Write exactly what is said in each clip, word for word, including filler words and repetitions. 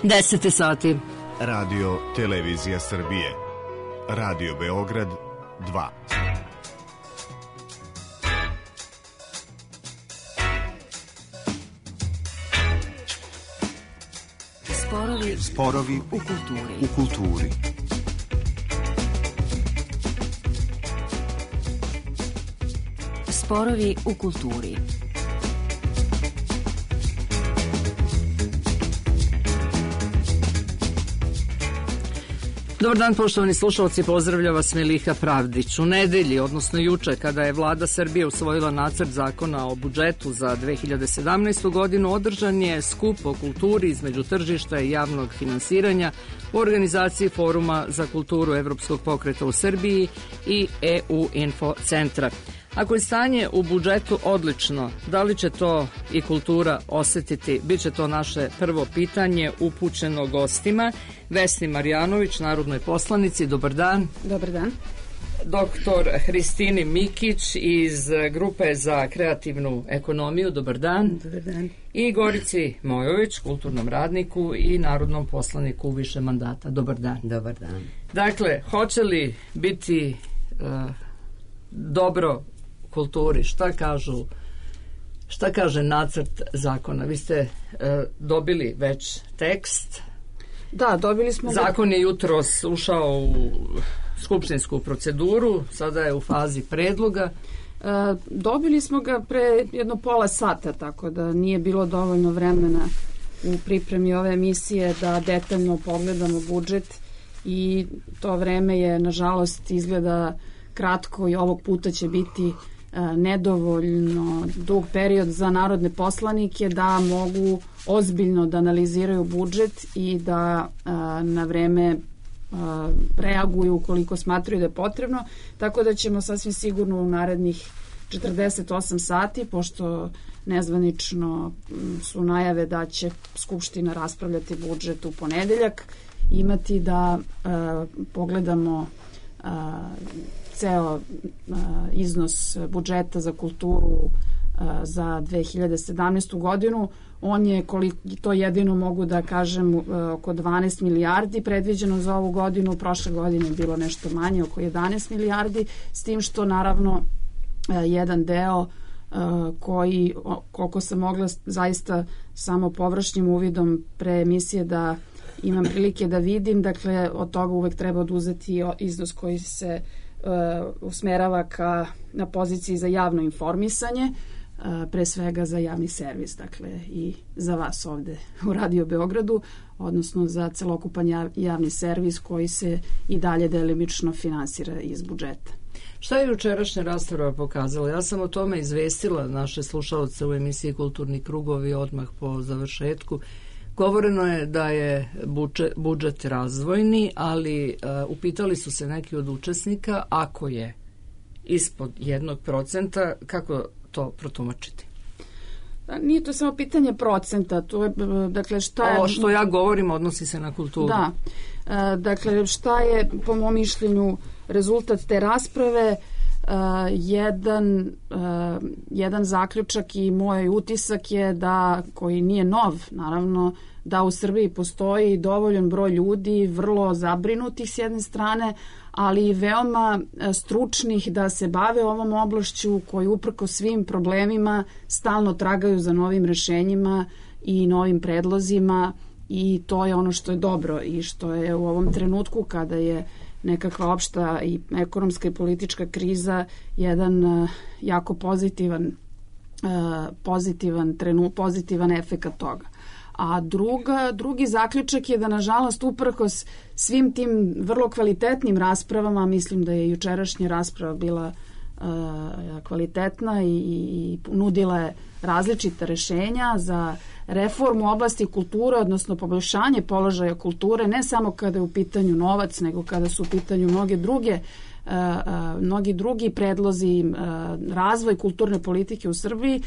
deset sati. Radio Televizija Srbije. Radio Beograd dva. Sporovi, Sporovi u kulturi. U kulturi. Sporovi u kulturi. Dobar dan, poštovani slušalci, pozdravlja vas Miliha Pravdić. U nedelji, odnosno juče, kada je vlada Srbije usvojila nacrt zakona o budžetu za dve hiljade sedamnaestu. godinu, održan je skup o kulturi između tržišta i javnog finansiranja u organizaciji Foruma za kulturu Evropskog pokreta u Srbiji i E U Info centra. Ako je stanje u budžetu odlično, da li će to i kultura osetiti? Biće to naše prvo pitanje upućeno gostima. Vesni Marjanović, narodnoj poslanici, dobar dan. Dobar dan. Doktor Hristini Mikić iz Grupe za kreativnu ekonomiju, dobar dan. Dobar dan. I Gorici Mojović, kulturnom radniku i narodnom poslaniku u više mandata, dobar dan. Dobar dan. Dakle, hoće li biti uh, dobro kulturi, šta kažu, šta kaže nacrt zakona? Vi ste e, dobili već tekst. Da, dobili smo. Zakon je jutros ušao u skupštinsku proceduru, sada je u fazi predloga. E, dobili smo ga pre jedno pola sata, tako da nije bilo dovoljno vremena u pripremi ove emisije da detaljno pogledamo budžet i to vreme je, nažalost, izgleda kratko i ovog puta će biti nedovoljno dug period za narodne poslanike da mogu ozbiljno da analiziraju budžet i da a, na vreme a, reaguju ukoliko smatraju da je potrebno, tako da ćemo sasvim sigurno u narednih četrdeset osam sati, pošto nezvanično su najave da će Skupština raspravljati budžet u ponedeljak, imati da a, pogledamo a, ceo uh, iznos budžeta za kulturu uh, za dve hiljade sedamnaestu. godinu. On je, koliko to jedino mogu da kažem, uh, oko dvanaest milijardi predviđeno za ovu godinu. Prošle godine je bilo nešto manje, oko jedanaest milijardi, s tim što naravno uh, jedan deo uh, koji, koliko sam mogla zaista samo površnim uvidom pre emisije da imam prilike da vidim, dakle od toga uvek treba oduzeti iznos koji se Uh, usmerava ka, na poziciji za javno informisanje, uh, pre svega za javni servis, dakle i za vas ovde u Radio Beogradu, odnosno za celokupan javni servis koji se i dalje delimično finansira iz budžeta. Šta je jučerašnja rasprava pokazala? Ja sam o tome izvestila naše slušalce u emisiji Kulturni krugovi odmah po završetku. Govoreno je da je budžet, budžet razvojni, ali uh, upitali su se neki od učesnika, ako je ispod jednog procenta, kako to protumačiti? Nije to samo pitanje procenta, to je, dakle, šta je... Ovo što ja govorim odnosi se na kulturu. Da, uh, dakle, šta je, po mom mišljenju, rezultat te rasprave? Uh, jedan, uh, jedan zaključak i moj utisak je da, koji nije nov, naravno, da u Srbiji postoji dovoljan broj ljudi, vrlo zabrinutih s jedne strane, ali i veoma stručnih da se bave ovom oblašću, koji uprko svim problemima stalno tragaju za novim rešenjima i novim predlozima, i to je ono što je dobro i što je u ovom trenutku kada je nekakva opšta i ekonomska i politička kriza jedan uh, jako pozitivan uh, pozitivan trenu, pozitivan efekat toga. A druga, drugi zaključak je da, nažalost, uprkos svim tim vrlo kvalitetnim raspravama, mislim da je jučerašnja rasprava bila uh, kvalitetna i, i nudila je različita rešenja za reformu oblasti kulture, odnosno poboljšanje položaja kulture, ne samo kada je u pitanju novac, nego kada su u pitanju mnoge druge uh, uh, mnogi drugi predlozi, uh, razvoj kulturne politike u Srbiji.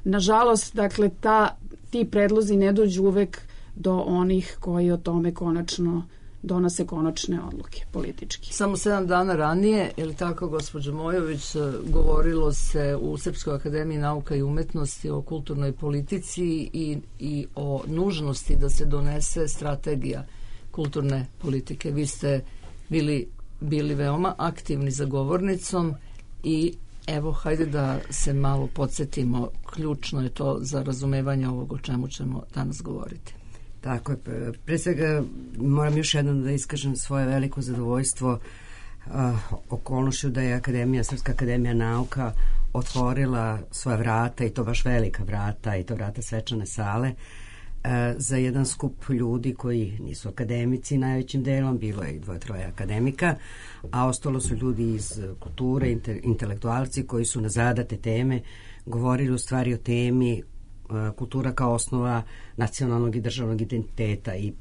Nažalost, dakle, ta, ti predlozi ne dođu uvek do onih koji o tome konačno donose konačne odluke politički. Samo sedam dana ranije, je li tako, gospođo Mojović, govorilo se u Srpskoj akademiji nauka i umetnosti o kulturnoj politici i, i o nužnosti da se donese strategija kulturne politike. Vi ste bili, bili veoma aktivni za govornicom i evo, hajde da se malo podsjetimo, ključno je to za razumevanje ovog o čemu ćemo danas govoriti. Tako je. Pre svega moram još jednom da iskažem svoje veliko zadovoljstvo uh, okolnošću da je Akademija, Srpska akademija nauka otvorila svoja vrata, i to baš velika vrata, i to vrata svečane sale, uh, za jedan skup ljudi koji nisu akademici najvećim delom, bilo je i dvoje, troje akademika, a ostalo su ljudi iz kulture, inte, intelektualci koji su na zadate teme govorili u stvari o temi kultura kao osnova nacionalnog i državnog identiteta. I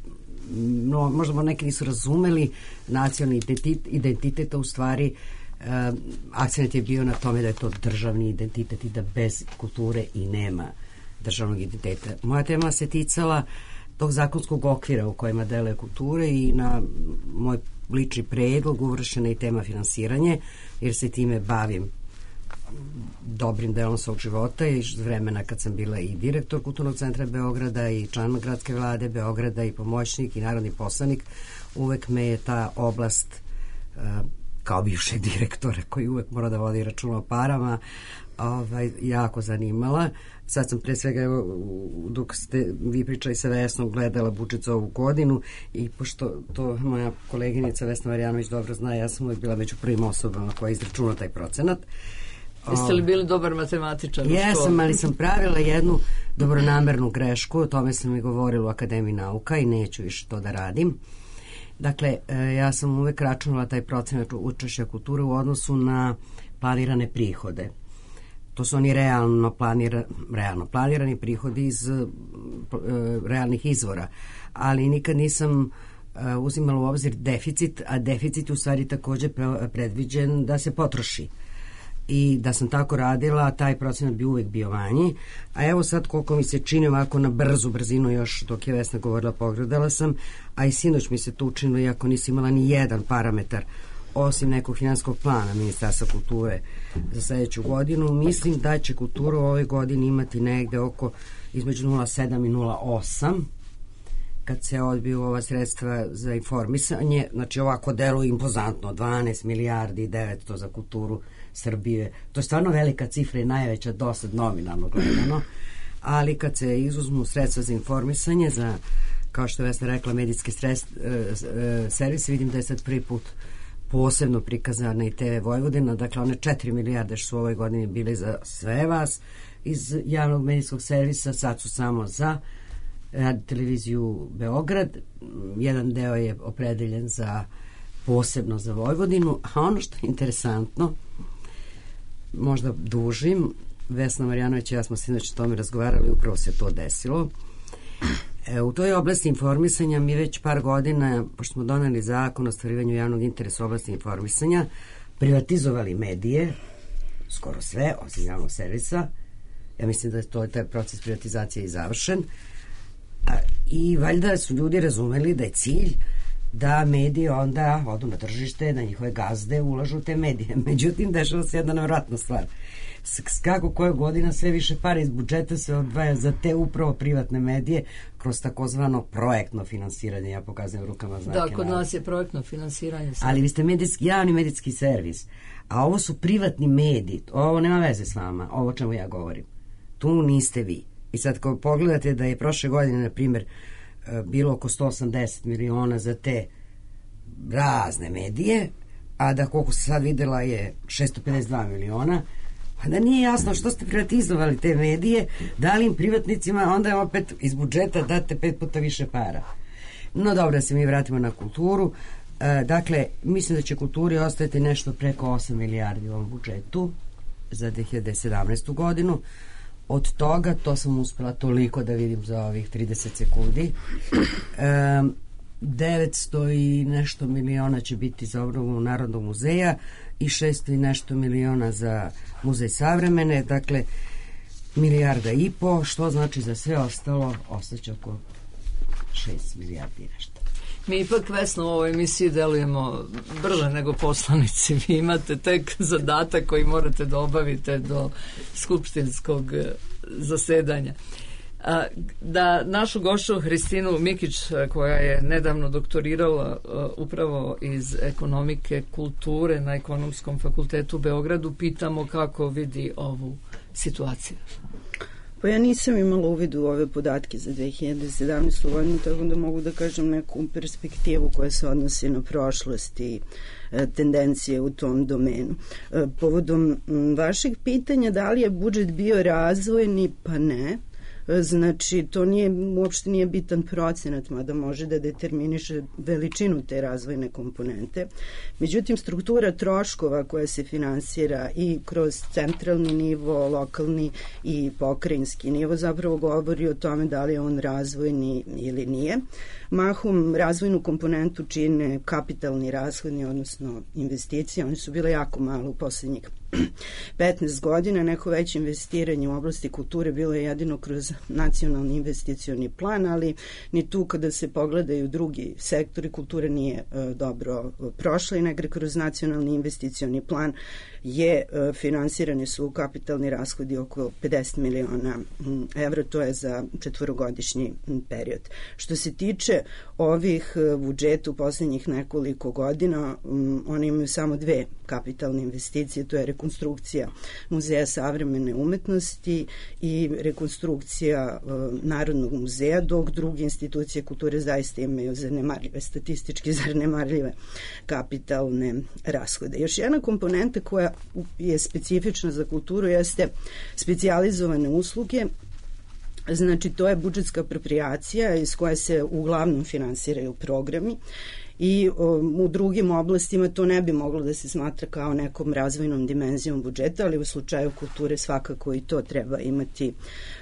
no, možda neki nisu razumeli nacionalni identitet, identitet, a u stvari uh, akcent je bio na tome da je to državni identitet i da bez kulture i nema državnog identiteta. Moja tema se ticala tog zakonskog okvira u kojima deluje kulture i na moj lični predlog uvršena i tema finansiranje, jer se time bavim dobrim delom svog života i vremena kad sam bila i direktor Kulturnog centra Beograda i član gradske vlade Beograda i pomoćnik i narodni poslanik. Uvek me je ta oblast, kao bivšeg direktora koji uvek mora da vodi računa o parama, ovaj, jako zanimala. Sad sam pre svega, dok ste vi pričali sa Vesnom, gledala budžet za ovu godinu i pošto to moja koleginica Vesna Marjanović dobro zna, ja sam uvek bila među prvim osobama koja izračuna taj procenat. Jeste li bili dobar matematičar? Jesam, ali sam pravila jednu dobronamernu grešku, o tome sam i govorila u Akademiji nauka i neću više to da radim. Dakle, ja sam uvek računala taj procenat učešća kulture u odnosu na planirane prihode. To su oni realno, planira, realno planirani prihodi iz uh, realnih izvora, ali nikad nisam uh, uzimala u obzir deficit, a deficit u stvari također predviđen da se potroši. I da sam tako radila, taj procenat bi uvek bio manji. A evo sad koliko mi se čini ovako na brzu brzinu, još dok je Vesna govorila pogledala sam, a i sinoć mi se to učinilo iako nisam imala ni jedan parametar osim nekog finansijskog plana Ministarstva kulture za sledeću godinu. Mislim da će kultura u ovoj godini imati negde oko između nula zarez sedam i nula zarez osam kad se odbiju ova sredstva za informisanje. Znači ovako deluje impozantno, dvanaest milijardi i devetsto za kulturu Srbije. To je stvarno velika cifra i najveća dosad nominalno gledano, ali kad se izuzmu sredstva za informisanje, za, kao što je Vesna rekla, medijske stres, e, e, servise, vidim da je sad prvi put posebno prikazana i te ve Vojvodina, dakle one četiri milijarde što su u ovoj godini bile za sve vas iz javnog medijskog servisa, sad su samo za Radio televiziju Beograd, jedan deo je opredeljen za posebno za Vojvodinu, a ono što je interesantno, možda dužim, Vesna Marjanović i ja smo sinoć o tome razgovarali, upravo se to desilo. E, u toj oblasti informisanja mi već par godina, pošto smo doneli zakon o ostvarivanju javnog interesa u oblasti informisanja, privatizovali medije, skoro sve, osim javnog servisa. Ja mislim da je to taj proces privatizacije i završen. A, i valjda su ljudi razumeli da je cilj da mediji onda odu na tržište, da njihove gazde ulažu u te medije. Međutim, dešava se jedna nevratna stvar. Kako koja godina sve više para iz budžeta se odvaja za te upravo privatne medije kroz takozvano projektno finansiranje. Ja pokazujem rukama znake. Da, kod nas je projektno finansiranje. Ali vi ste medijski, javni medijski servis, a ovo su privatni mediji. Ovo nema veze s vama, ovo o čemu ja govorim. Tu niste vi. I sad ako pogledate da je prošle godine, na primjer, bilo oko sto osamdeset miliona za te razne medije, a da koliko se sad videla je šesto pedeset dva miliona, pa da nije jasno što ste privatizovali te medije, dali im privatnicima, onda je opet iz budžeta date pet puta više para. No dobro, da se mi vratimo na kulturu. E, dakle, mislim da će kulturi ostati nešto preko osam milijardi u ovom budžetu za dve hiljade sedamnaestu godinu. Od toga, to sam uspela toliko da vidim za ovih trideset sekundi, e, devetsto i nešto miliona će biti za obnovu Narodnog muzeja i šesto i nešto miliona za Muzej savremene, dakle milijarda i po, što znači za sve ostalo ostaće oko šest milijardi nešto. Mi ipak, Vesno, u ovoj emisiji delujemo brže nego poslanici. Vi imate tek zadatak koji morate da obavite do skupštinskog zasedanja. Da našu gošću Hristinu Mikić, koja je nedavno doktorirala upravo iz ekonomike kulture na Ekonomskom fakultetu u Beogradu, pitamo kako vidi ovu situaciju. Pa ja nisam imala uvid u ove podatke za dve hiljade sedamnaestu. godinu, tako da mogu da kažem neku perspektivu koja se odnosi na prošlost i e, tendencije u tom domenu. E, povodom m, vašeg pitanja da li je budžet bio razvojni, pa ne. Znači, to nije, uopšte nije bitan procenat, mada može da determiniše veličinu te razvojne komponente. Međutim, struktura troškova koja se finansira i kroz centralni nivo, lokalni i pokrajinski nivo zapravo govori o tome da li je on razvojni ili nije. Mahom razvojnu komponentu čine kapitalni rashodni, odnosno investicije. Oni su bile jako malo u poslednjih petnaest godina. Neko veće investiranje u oblasti kulture bilo je jedino kroz nacionalni investicioni plan, ali ni tu kada se pogledaju drugi sektori, kultura nije e, dobro prošla i negre kroz nacionalni investicioni plan je e, finansirani su kapitalni rashodi oko pedeset miliona evra, to je za četvorogodišnji period. Što se tiče ovih budžeta u poslednjih nekoliko godina, um, oni imaju samo dve kapitalne investicije, to je rekonstrukcija Muzeja savremene umetnosti i rekonstrukcija uh, Narodnog muzeja, dok druge institucije kulture zaista imaju zanemarljive, statistički zanemarljive kapitalne rashode. Još jedna komponenta koja je specifična za kulturu jeste specijalizovane usluge. Znači, to je budžetska apropriacija iz koje se uglavnom finansiraju programi i um, u drugim oblastima to ne bi moglo da se smatra kao nekom razvojnom dimenzijom budžeta, ali u slučaju kulture svakako i to treba imati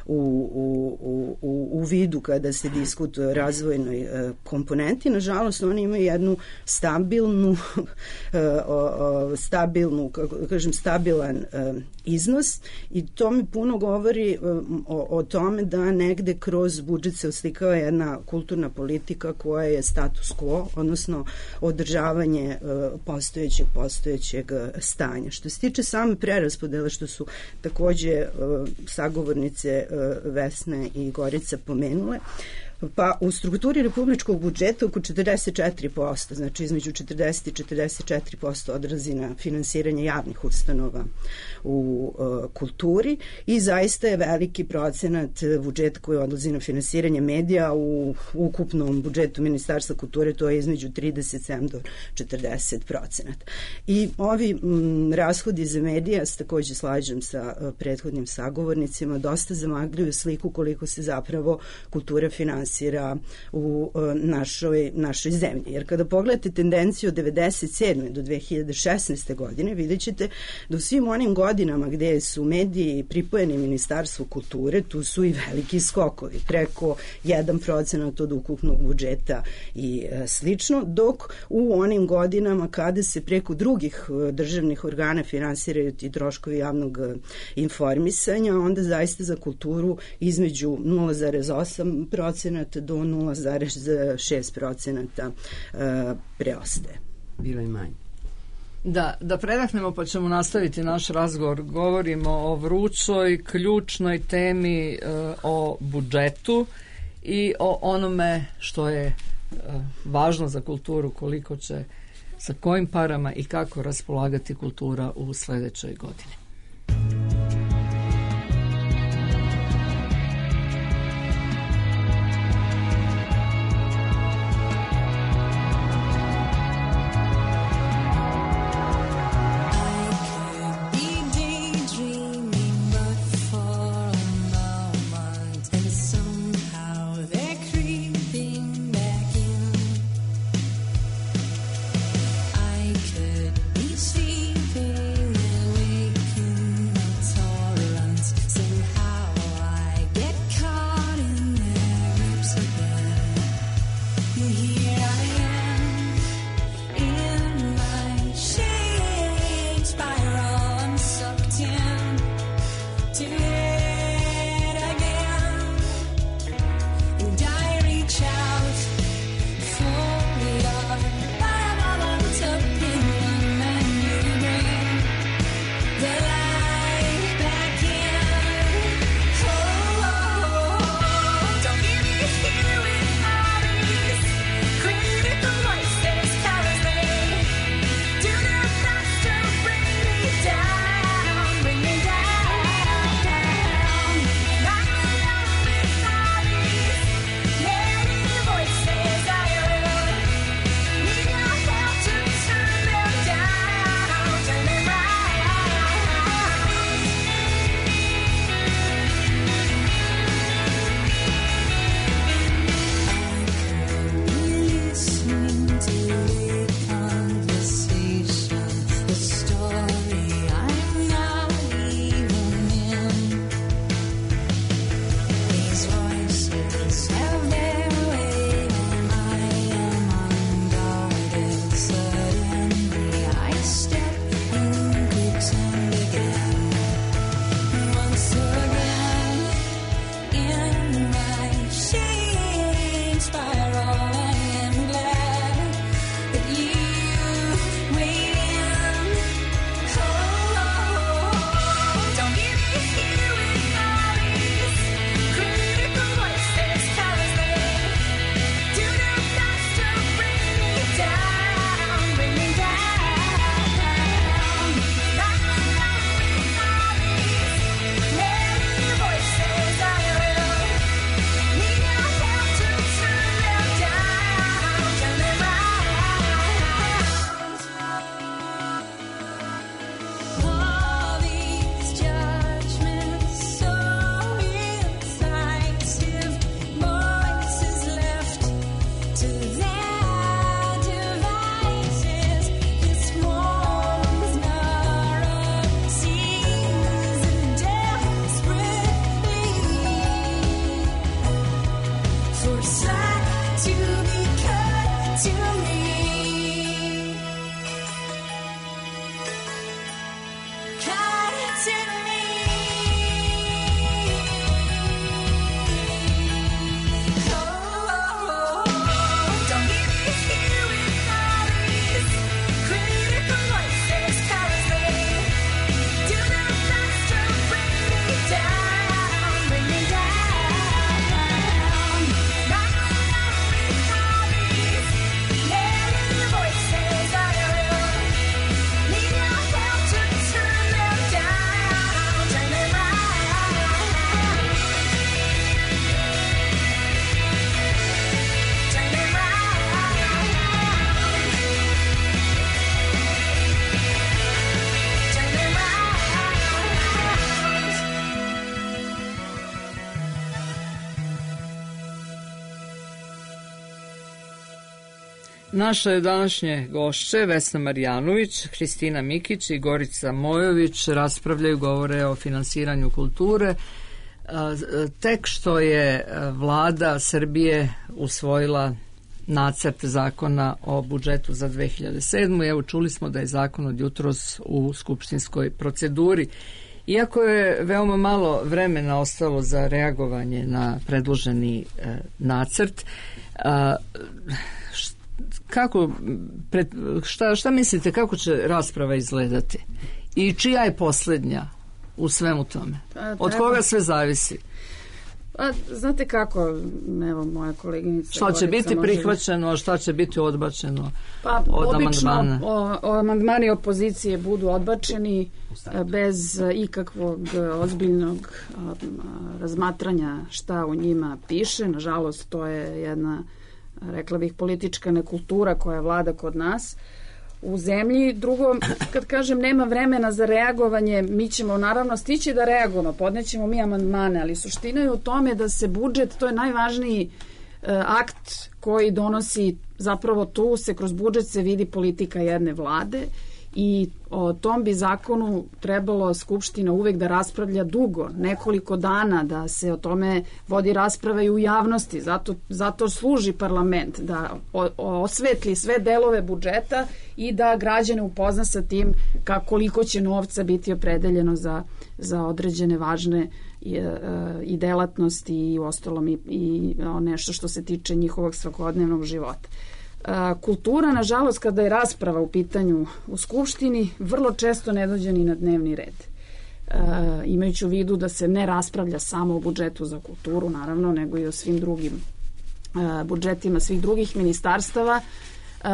u, u, u, u vidu kada se diskutuje o razvojnoj uh, komponenti. Nažalost, oni imaju jednu stabilnu, uh, uh, stabilnu, kako kažem, stabilan uh, iznos i to mi puno govori um, o, o tome da negde kroz budžet se oslikava jedna kulturna politika koja je status quo, odnosno održavanje uh, postojećeg postojećeg uh, stanja. Što se tiče same preraspodele, što su takođe uh, sagovornice uh, Vesne i Gorica pomenule, pa u strukturi republičkog budžeta oko četrdeset četiri posto, znači između četrdeset i četrdeset četiri posto odlazi na finansiranje javnih ustanova u uh, kulturi i zaista je veliki procenat budžeta koji odlazi na finansiranje medija u ukupnom budžetu Ministarstva kulture, to je između trideset sedam do četrdeset procenata. I ovi m, rashodi za medija, s takođe slažem sa uh, prethodnim sagovornicima, dosta zamagljuju sliku koliko se zapravo kultura finansira u našoj, našoj zemlji. Jer kada pogledate tendenciju od devedeset sedme do dve hiljade šesnaeste. godine, vidjet ćete da u svim onim godinama gde su mediji pripojeni Ministarstvu kulture, tu su i veliki skokovi, preko jedan procenat od ukupnog budžeta i e, slično, dok u onim godinama kada se preko drugih državnih organa finansiraju ti troškovi javnog informisanja, onda zaista za kulturu između nula zarez osam procenata do nula zarez šest procenata preostaje. Bilo i manje. Da, da predahnemo pa ćemo nastaviti naš razgovor. Govorimo o vrućoj, ključnoj temi uh, o budžetu i o onome što je uh, važno za kulturu, koliko će, sa kojim parama i kako raspolagati kultura u sledećoj godini. And I reach out for Naše današnje gošće, Vesna Marjanović, Hristina Mikić i Gorica Mojović, raspravljaju, govore o finansiranju kulture. Tek što je vlada Srbije usvojila nacrt zakona o budžetu za dve hiljade sedmu. Evo, čuli smo da je zakon od jutros u skupštinskoj proceduri. Iako je veoma malo vremena ostalo za reagovanje na predloženi e, nacrt, a, kako, pred, šta, šta mislite, kako će rasprava izgledati? I čija je posljednja u svemu tome? Pa, od koga sve zavisi? Pa, znate kako, evo moja koleginica... Šta će biti može... prihvaćeno, a šta će biti odbačeno pa, od obično, amandmana? O, o, amandmani opozicije budu odbačeni bez ikakvog ozbiljnog a, razmatranja šta u njima piše. Nažalost, to je jedna, rekla bih, politička nekultura koja vlada kod nas u zemlji. Drugo, kad kažem nema vremena za reagovanje, mi ćemo naravno stići da reagujemo, podnećemo mi amandmane, ali suština je u tome da se budžet, to je najvažniji e, akt koji donosi, zapravo tu se kroz budžet se vidi politika jedne vlade i o tom bi zakonu trebalo Skupština uvek da raspravlja dugo, nekoliko dana, da se o tome vodi rasprava i u javnosti. Zato, zato služi parlament, da o, osvetli sve delove budžeta i da građane upozna sa tim kako, koliko će novca biti opredeljeno za, za određene važne i, i delatnosti i ostalom i, i nešto što se tiče njihovog svakodnevnog života. Kultura, nažalost, kada je rasprava u pitanju u Skupštini, vrlo često ne dođe ni na dnevni red. E, imajući u vidu da se ne raspravlja samo o budžetu za kulturu, naravno, nego i o svim drugim e, budžetima svih drugih ministarstava. E,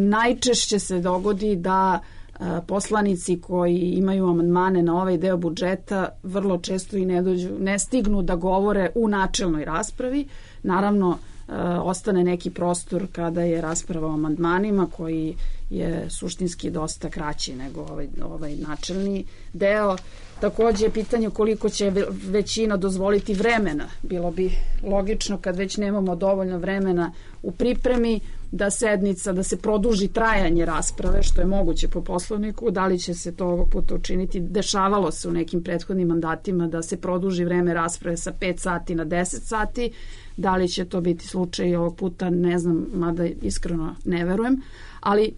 najčešće se dogodi da e, poslanici koji imaju amandmane na ovaj deo budžeta vrlo često i ne dođu, ne stignu da govore u načelnoj raspravi. Naravno, Uh, ostane neki prostor kada je rasprava o amandmanima koji je suštinski dosta kraći nego ovaj, ovaj načelni deo. Takođe je pitanje koliko će većina dozvoliti vremena. Bilo bi logično kad već nemamo dovoljno vremena u pripremi da sednica, da se produži trajanje rasprave, što je moguće po Poslovniku. Da li će se to ovog puta učiniti? Dešavalo se u nekim prethodnim mandatima da se produži vreme rasprave sa pet sati na deset sati. Da li će to biti slučaj ovog puta, ne znam, mada iskreno ne verujem. Ali e,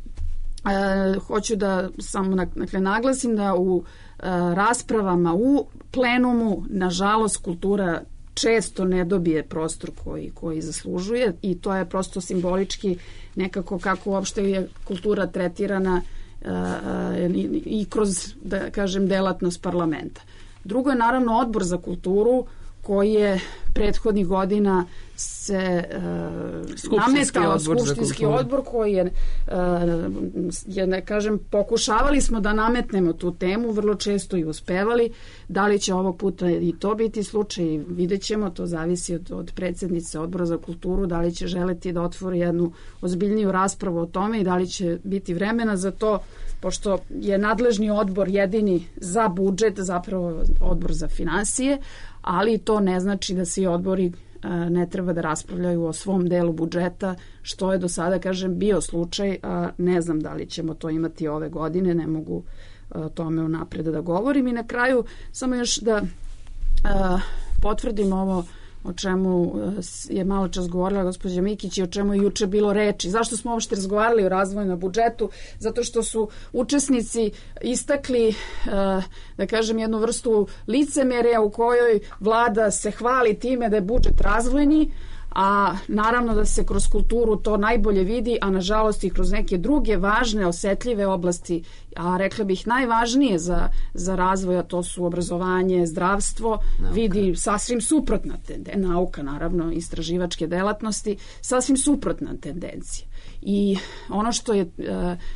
hoću da samo dakle, naglasim da u e, raspravama u plenumu, nažalost, kultura često ne dobije prostor koji, koji zaslužuje i to je prosto simbolički nekako kako uopšte je kultura tretirana e, e, i kroz, da kažem, delatnost parlamenta. Drugo je naravno Odbor za kulturu koji je prethodnih godina se uh, nametao skupštinski odbor koji je, uh, je, ne kažem, pokušavali smo da nametnemo tu temu, vrlo često i uspevali. Da li će ovog puta i to biti slučaj, vidjet ćemo, to zavisi od, od predsjednice Odbora za kulturu, da li će želeti da otvori jednu ozbiljniju raspravu o tome i da li će biti vremena za to, pošto je nadležni odbor jedini za budžet, zapravo Odbor za finansije, ali to ne znači da svi odbori ne treba da raspravljaju o svom delu budžeta, što je do sada, kažem, bio slučaj, a ne znam da li ćemo to imati ove godine, ne mogu o tome unapred da govorim. I na kraju samo još da a, potvrdim ovo o čemu je malo čas govorila gospođa Mikić i o čemu je juče bilo reči. Zašto smo uopšte razgovarali o razvojnom budžetu? Zato što su učesnici istakli, da kažem, jednu vrstu licemerja u kojoj vlada se hvali time da je budžet razvojni, a naravno da se kroz kulturu to najbolje vidi, a nažalost i kroz neke druge važne, osetljive oblasti, a rekla bih najvažnije za, za razvoj, a to su obrazovanje, zdravstvo, nauka. Vidi sasvim suprotna tendencija, nauka naravno, istraživačke delatnosti, sasvim suprotna tendencija. I ono što je e,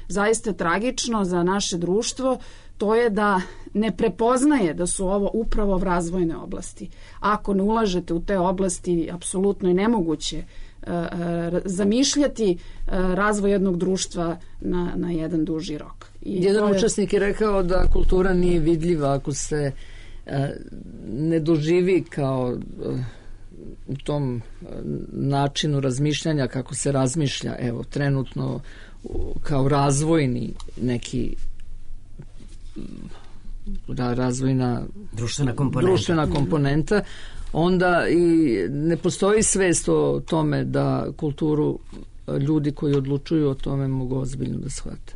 zaista tragično za naše društvo, to je da ne prepoznaje da su ovo upravo razvojne oblasti. Ako ne ulažete u te oblasti, apsolutno je nemoguće uh, uh, zamišljati uh, razvoj jednog društva na, na jedan duži rok. I jedan je... učesnik je rekao da kultura nije vidljiva ako se uh, ne doživi kao uh, u tom uh, načinu razmišljanja kako se razmišlja, evo, trenutno uh, kao razvojni neki da, razvojna društvena komponenta. društvena komponenta, onda i ne postoji svest o tome da kulturu ljudi koji odlučuju o tome mogu ozbiljno da shvate.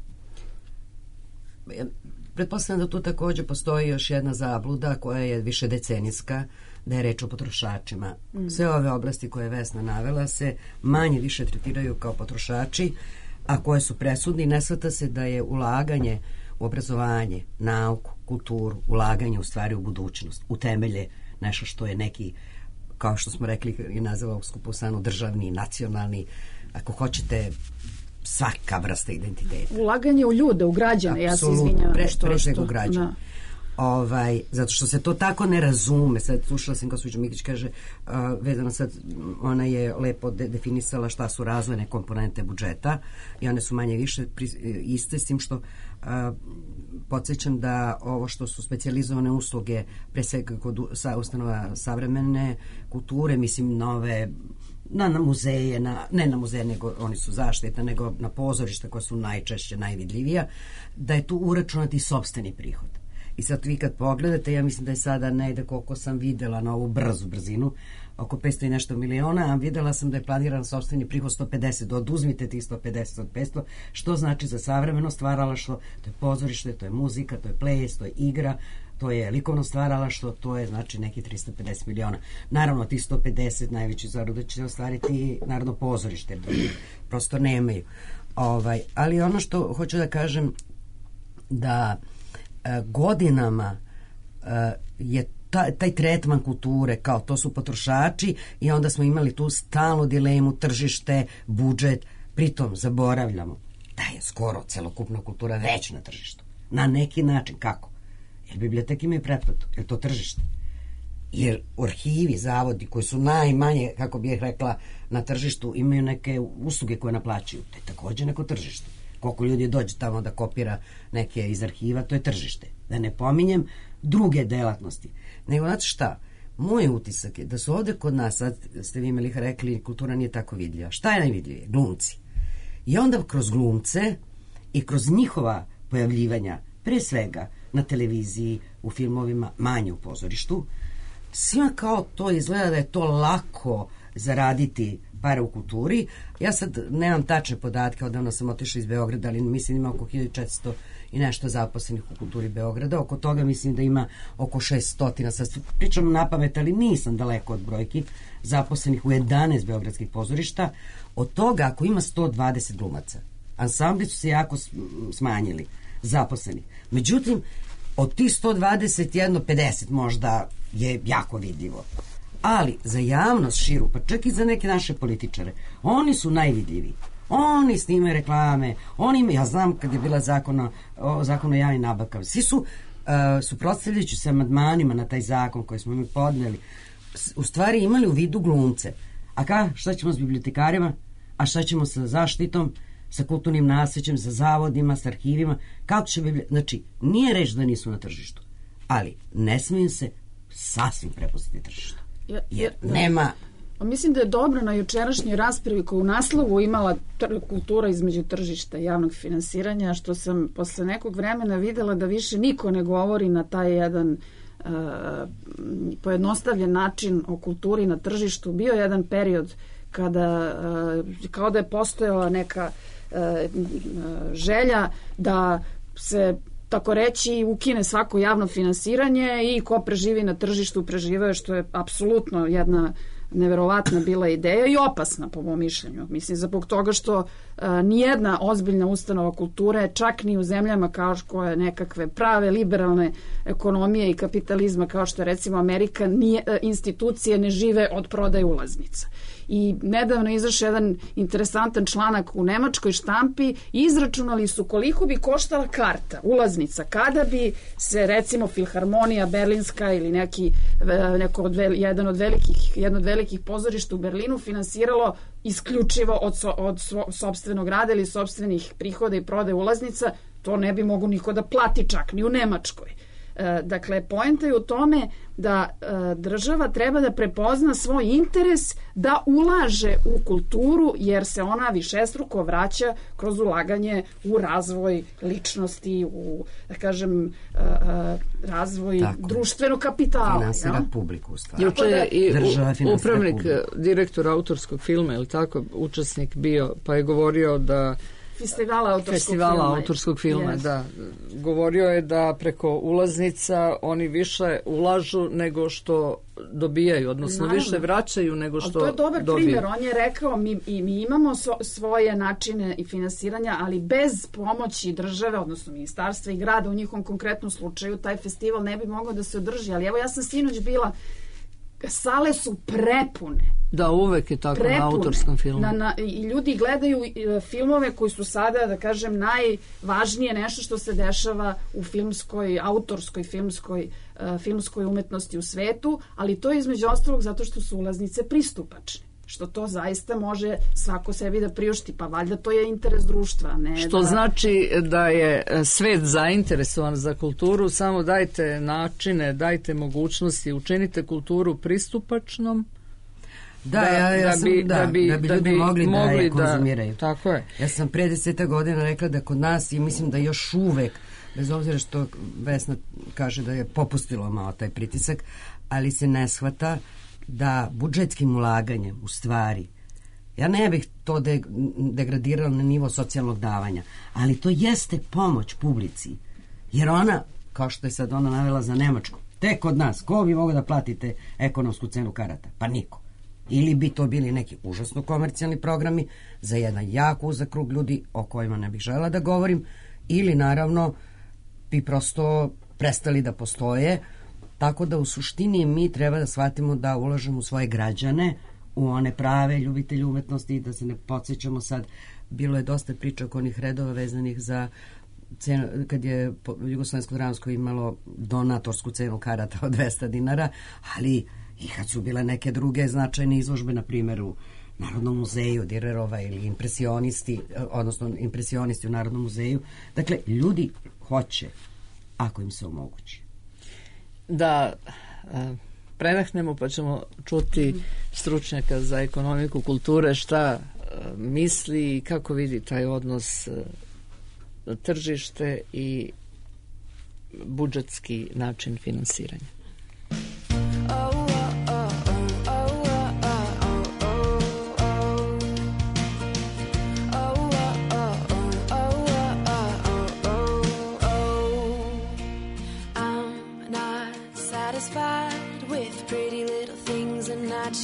Pretpostavljam da tu također postoji još jedna zabluda koja je više decenijska, da je reč o potrošačima. Mm. Sve ove oblasti koje je Vesna navela se manje više tretiraju kao potrošači, a koje su presudni. Ne shvata se da je ulaganje u obrazovanje, nauku, kulturu, ulaganje u stvari u budućnost, u temelje, nešto što je neki, kao što smo rekli i nazvao Skupusanu, državni, nacionalni, ako hoćete, svaka vrsta identiteta. Ulaganje u ljude, u građane, apsolutno, ja se izvinjavam. Pre, pre svega u građane. Ovaj, zato što se to tako ne razume. Sad slušala sam gospođa Mikić kaže uh, vezano sad, ona je lepo de, definisala šta su razvojne komponente budžeta i one su manje više pri, iste, s tim što uh, podsjećam da ovo što su specijalizovane usluge pre svega kod sa, ustanova savremene kulture, mislim nove na, na muzeje, na, ne na muzeje, nego oni su zaštitne, nego na pozorišta koja su najčešće najvidljivija, da je tu uračunati sopstveni prihod. I sad vi kad pogledate, ja mislim da je sada negde koliko sam videla na ovu brzu brzinu, oko petsto i nešto miliona, a videla sam da je planiran sopstveni prihod sto pedeset, oduzmite tih sto pedeset od petsto, što znači za savremeno stvaralaštvo, to je pozorište, to je muzika, to je ples, to je igra, to je likovno stvaralaštvo, to je znači neki tristo pedeset miliona. Naravno, tih sto pedeset najveći zaradu će ostvariti Narodno pozorište, prosto nemaju. Ovaj, ali ono što hoću da kažem, da godinama uh, je ta, taj tretman kulture kao to su potrošači i onda smo imali tu stalnu dilemu tržište, budžet, pritom zaboravljamo da je skoro celokupna kultura već na tržištu. Na neki način. Kako? Jer biblioteke imaju pretplatu. Jer to tržište? Jer arhivi, zavodi koji su najmanje, kako bih rekla, na tržištu imaju neke usluge koje naplaćuju. To je također neko tržište. Koliko ljudi dođe tamo da kopira neke iz arhiva, to je tržište. Da ne pominjem druge delatnosti. Nego, znate šta, moj utisak je da su ovde kod nas, sad ste vi imali rekli, kultura nije tako vidljiva. Šta je najvidljivije? Glumci. I onda kroz glumce i kroz njihova pojavljivanja, pre svega na televiziji, u filmovima, manje u pozorištu, svima kao to izgleda da je to lako zaraditi pare u kulturi. Ja sad nemam tačne podatke, odavno sam otišla iz Beograda, ali mislim ima oko hiljadu četiristo i nešto zaposlenih u kulturi Beograda. Oko toga mislim da ima oko šesto, sad pričam na pamet, ali nisam daleko od brojki, zaposlenih u jedanaest beogradskih pozorišta. Od toga, ako ima sto dvadeset glumaca, ansambli su se jako smanjili, zaposlenih. Međutim, od tih sto dvadeset, jedno pedeset možda je jako vidljivo. Ali za javnost širu, pa čak i za neke naše političare, oni su najvidljiviji. Oni snimaju reklame, oni imaju, ja znam kad je bila zakon o, zakon o javnim nabavkama, svi su, uh, suprotstavljajući se amandmanima na taj zakon koji smo mi podneli, u stvari imali u vidu glumce. A ka, šta ćemo s bibliotekarima? A šta ćemo sa zaštitom, sa kulturnim nasleđem, sa zavodima, sa arhivima? Kako će bibliotekari? Znači, nije reč da nisu na tržištu, ali ne smiju se sasvim prepustiti tržištu. Ja, jer ja, nema... Mislim da je dobro na jučerašnjoj raspravi koju u naslovu imala tr- kultura između tržišta i javnog finansiranja, što sam posle nekog vremena videla da više niko ne govori na taj jedan uh, pojednostavljen način o kulturi na tržištu. Bio jedan period kada kao da je postojala neka želja da se tako reći ukine svako javno finansiranje i ko preživi na tržištu preživao, što je apsolutno jedna neverovatna bila ideja i opasna po mom mišljenju. Mislim, zbog toga što a, nijedna ozbiljna ustanova kulture, čak ni u zemljama kao što je nekakve prave liberalne ekonomije i kapitalizma kao što je recimo Amerika, nije, a, institucije ne žive od prodaje ulaznica. I nedavno izašao jedan interesantan članak u nemačkoj štampi, izračunali su koliko bi koštala karta, ulaznica, kada bi se recimo Filharmonija Berlinska ili neki, neko od, jedan od velikih, jedno od velikih pozorišta u Berlinu finansiralo isključivo od, so, od svo, sopstvenog rada ili sopstvenih prihoda i prodaje ulaznica, to ne bi mogu niko da plati čak ni u Nemačkoj. Dakle, poenta je u tome da država treba da prepozna svoj interes da ulaže u kulturu, jer se ona višestruko vraća kroz ulaganje u razvoj ličnosti, u, da kažem, razvoj tako, društvenog kapitala. Finansira ja? publiku u stvari. Juče je i u, upravnik, direktor autorskog filma, ili tako, učesnik bio, pa je govorio da Festivala autorskog Festivala filma. autorskog filma, yes. da. Govorio je da preko ulaznica oni više ulažu nego što dobijaju, odnosno Naravno. više vraćaju nego što dobijaju. To je dobar dobiju. primjer. On je rekao, mi, i mi imamo so, svoje načine i finansiranja, ali bez pomoći države, odnosno ministarstva i grada u njihovom konkretnom slučaju, taj festival ne bi mogao da se održi. Ali evo, ja sam sinoć bila, sale su prepune. Da, uvek je tako prepune. Na autorskom filmu. Na, na, I ljudi gledaju filmove koji su sada, da kažem, najvažnije nešto što se dešava u filmskoj, autorskoj filmskoj, uh, filmskoj umetnosti u svetu, ali to je između ostalog zato što su ulaznice pristupačne. Što to zaista može svako sebi da priušti, pa valjda to je interes društva. Ne što da... znači da je svet zainteresovan za kulturu, samo dajte načine, dajte mogućnosti, učinite kulturu pristupačnom, Da, da, ja, ja da, sam, bi, da, da, bi, da bi ljudi da bi mogli, mogli da je konzumiraju. Da, tako je. Ja sam pre deseta godina rekla da kod nas, i mislim da još uvek, bez obzira što Vesna kaže da je popustilo malo taj pritisak, ali se ne shvata da budžetskim ulaganjem u stvari, ja ne bih to de, degradirala na nivo socijalnog davanja, ali to jeste pomoć publici, jer ona, kao što je sad ona navela za Nemačku, tek kod nas, ko bi mogao da platite ekonomsku cenu karata? Pa niko. Ili bi to bili neki užasno komercijalni programi za jedan jako uzak krug ljudi o kojima ne bih žela da govorim, ili naravno bi prosto prestali da postoje. Tako da u suštini mi treba da shvatimo da ulažemo u svoje građane, u one prave ljubitelje umetnosti, da se ne podsjećamo sad, bilo je dosta priča oko onih redova vezanih za cenu, kad je Jugoslovensko-dramsko imalo donatorsku cenu karata od dvesta dinara, ali i kad su bile neke druge značajne izložbe, na primjer u Narodnom muzeju Direrova ili impresionisti, odnosno impresionisti u Narodnom muzeju. Dakle, ljudi hoće, ako im se omogući. Da predahnemo, pa ćemo čuti stručnjaka za ekonomiku kulture šta misli i kako vidi taj odnos tržište i budžetski način finansiranja.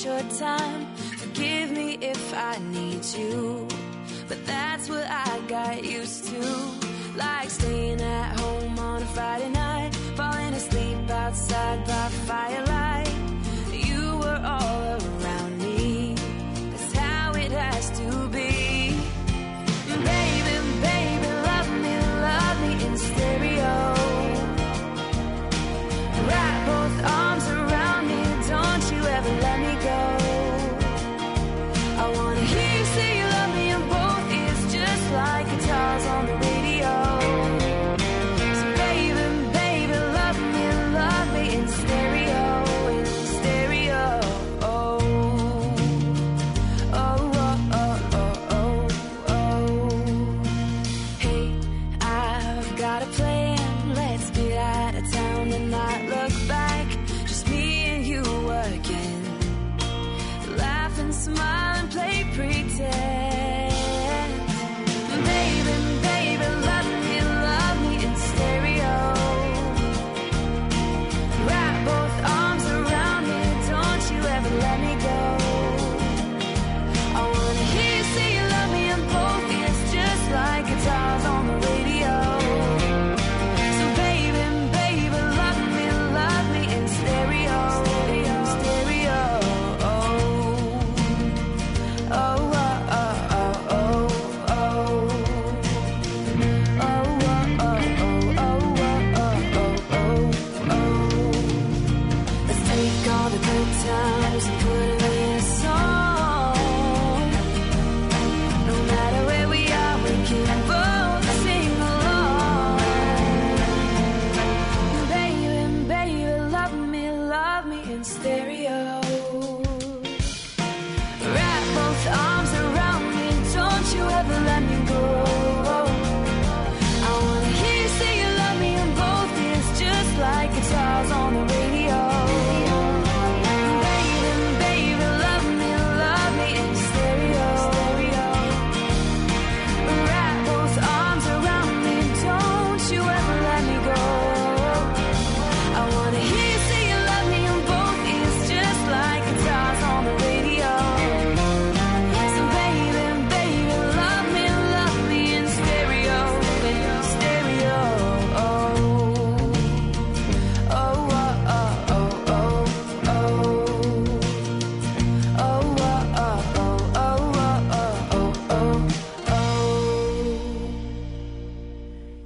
Your time, forgive me if I need you, but that's what I got used to, like staying at home on a Friday night, falling asleep outside by firelight. You were all around me, that's how it has to be. Baby, baby, love me, love me in stereo. Wrap both arms around me, don't you ever let me go. I wanna hear you say you love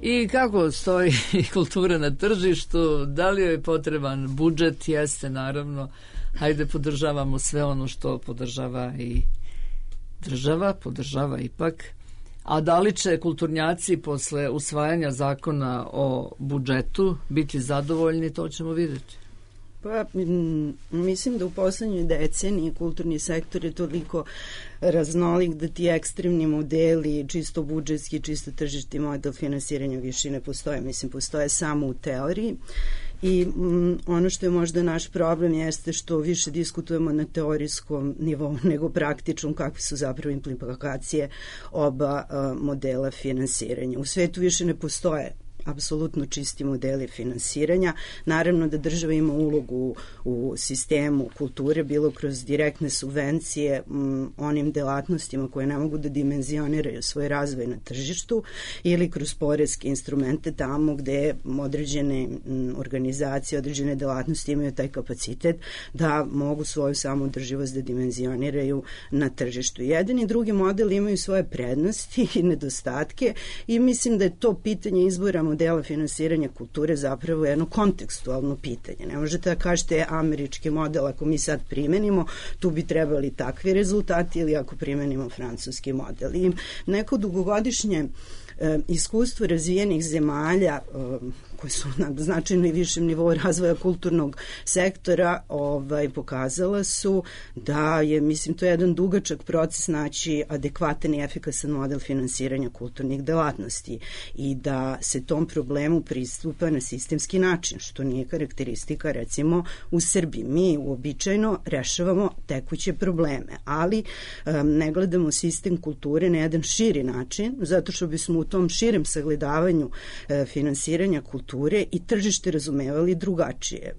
I kako stoji kultura na tržištu, da li je potreban budžet? Jeste, naravno. Hajde, podržavamo sve ono što podržava i država, podržava ipak. A da li će kulturnjaci posle usvajanja zakona o budžetu biti zadovoljni, to ćemo vidjeti. Pa, mislim da u poslednjoj deceniji kulturni sektor je toliko raznolik da ti ekstremni modeli, čisto budžetski, čisto tržišti model finansiranja više ne postoje. Mislim, postoje samo u teoriji. I mm, ono što je možda naš problem jeste što više diskutujemo na teorijskom nivou nego praktičnom, kakve su zapravo implikacije oba uh, modela finansiranja. U svetu više ne postoje apsolutno čisti modeli finansiranja. Naravno da država ima ulogu u sistemu kulture, bilo kroz direktne subvencije m, onim delatnostima koje ne mogu da dimenzioniraju svoj razvoj na tržištu ili kroz poreske instrumente tamo gde određene m, organizacije, određene delatnosti imaju taj kapacitet da mogu svoju samoodrživost da dimenzioniraju na tržištu. Jedan i drugi model imaju svoje prednosti i nedostatke i mislim da je to pitanje izbora modela finansiranja kulture zapravo jedno kontekstualno pitanje. Ne možete da kažete američki model, ako mi sad primenimo, tu bi trebali takvi rezultati, ili ako primenimo francuski model. I neko dugogodišnje e, iskustvo razvijenih zemalja e, koji su na značajno i višem nivou razvoja kulturnog sektora ovaj, pokazala su da je, mislim, to je jedan dugačak proces naći adekvatan i efikasan model finansiranja kulturnih delatnosti i da se tom problemu pristupa na sistemski način, što nije karakteristika recimo u Srbiji. Mi uobičajeno rešavamo tekuće probleme, ali um, ne gledamo sistem kulture na jedan širi način, zato što bismo u tom širem sagledavanju uh, finansiranja kulture i tržište razumevali drugačije.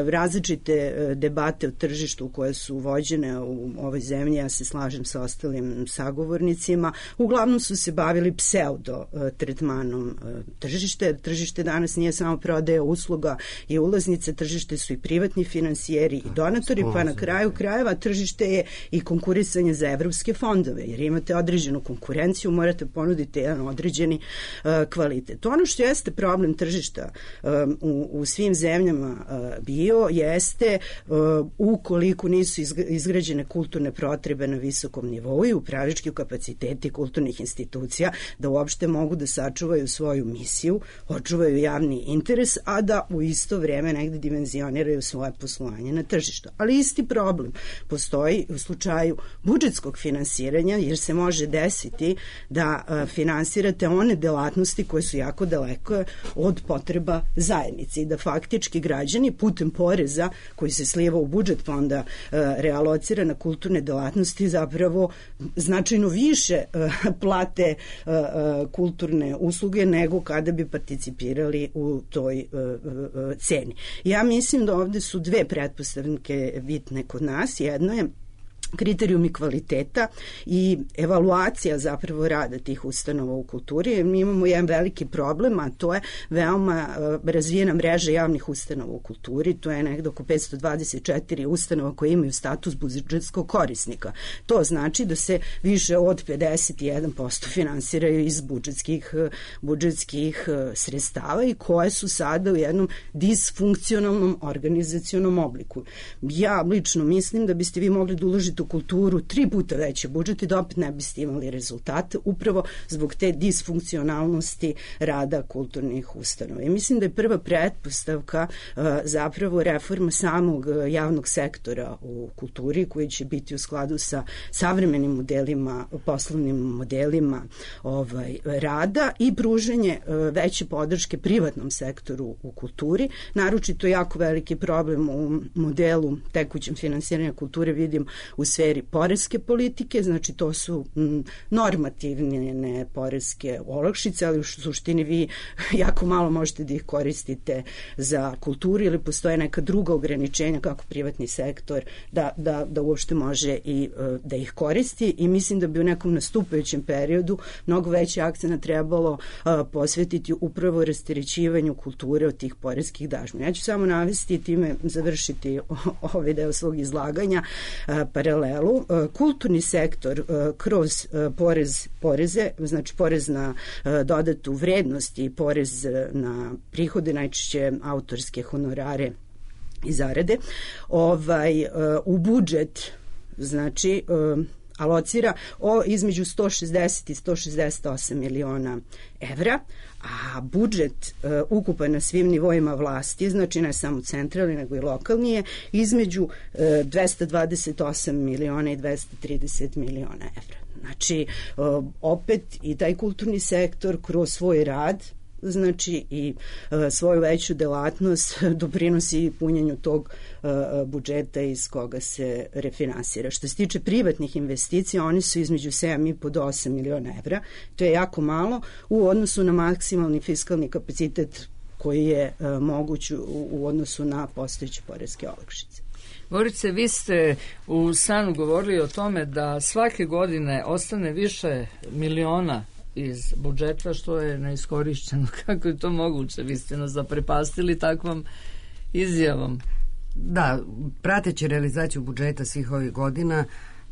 Različite debate o tržištu koje su vođene u ovoj zemlji, ja se slažem sa ostalim sagovornicima, uglavnom su se bavili pseudo tretmanom tržište. Tržište danas nije samo prodaja usluga i ulaznice, tržište su i privatni finansijeri i donatori, pa na kraju krajeva tržište je i konkurisanje za evropske fondove, jer imate određenu konkurenciju, morate ponuditi jedan određeni uh, kvalitet. Ono što jeste problem tržišta um, u, u svim zemljama uh, bio jeste uh, ukoliko nisu izgrađene kulturne potrebe na visokom nivou i upravljački kapaciteti kulturnih institucija da uopšte mogu da sačuvaju svoju misiju, očuvaju javni interes, a da u isto vreme negde dimenzioniraju svoje poslovanje na tržištu. Ali isti problem postoji u slučaju budžetskog finansiranja, jer se može desiti da uh, finansirate one delatnosti koje su jako daleko od potreba zajednice i da faktički građani putem poreza koji se slijeva u budžet pa onda uh, realocira na kulturne delatnosti zapravo značajno više uh, plate uh, uh, kulturne usluge nego kada bi participirali u toj uh, uh, ceni. Ja mislim da ovde su dve pretpostavke bitne kod nas. Jedno je kriterijumi kvaliteta i evaluacija zapravo rada tih ustanova u kulturi. Mi imamo jedan veliki problem, a to je veoma uh, razvijena mreža javnih ustanova u kulturi. To je nekdo oko petsto dvadeset četiri ustanova koje imaju status budžetskog korisnika. To znači da se više od pedeset jedan posto finansiraju iz budžetskih, budžetskih uh, sredstava i koje su sada u jednom disfunkcionalnom organizacionom obliku. Ja lično mislim da biste vi mogli da uložite u kulturu tri puta veći budžet i da opet ne biste imali rezultate upravo zbog te disfunkcionalnosti rada kulturnih ustanova. I mislim da je prva pretpostavka uh, zapravo reforma samog uh, javnog sektora u kulturi koji će biti u skladu sa savremenim modelima, poslovnim modelima ovaj, rada i pruženje uh, veće podrške privatnom sektoru u kulturi. Naročito jako veliki problem u modelu tekućem finansiranja kulture vidim u sferi poreske politike, znači to su m, normativne poreske olakšice, ali u suštini vi jako malo možete da ih koristite za kulturu ili postoje neka druga ograničenja kako privatni sektor da, da, da uopšte može i uh, da ih koristi i mislim da bi u nekom nastupajućem periodu mnogo veći akcent trebalo uh, posvetiti upravo rasterećivanju kulture od tih poreskih dažbina. Ja ću samo navesti i time završiti ovaj deo svog izlaganja uh, paralel paralelu. Kulturni sektor kroz porez, poreze, znači porez na dodatu vrednost i porez na prihode, najčešće autorske honorare i zarade, ovaj, u budžet, znači, alocira o između sto šezdeset i sto šezdeset osam miliona evra, a budžet uh, ukupan na svim nivoima vlasti, znači ne samo centralni nego i lokalni, je između uh, dvesta dvadeset osam miliona i dvesta trideset miliona evra. Znači, uh, opet i taj kulturni sektor kroz svoj rad, znači i uh, svoju veću delatnost doprinosi punjenju tog uh, budžeta iz koga se refinansira. Što se tiče privatnih investicija, oni su između sedam i po do osam miliona evra. To je jako malo u odnosu na maksimalni fiskalni kapacitet koji je uh, moguć u, u odnosu na postojeće poreske olakšice. Gorice, vi ste u Sanu govorili o tome da svake godine ostane više miliona iz budžeta, što je neiskorišćeno. Kako je to moguće? Vi ste nas zaprepastili takvom izjavom. Da, prateći realizaciju budžeta svih ovih godina,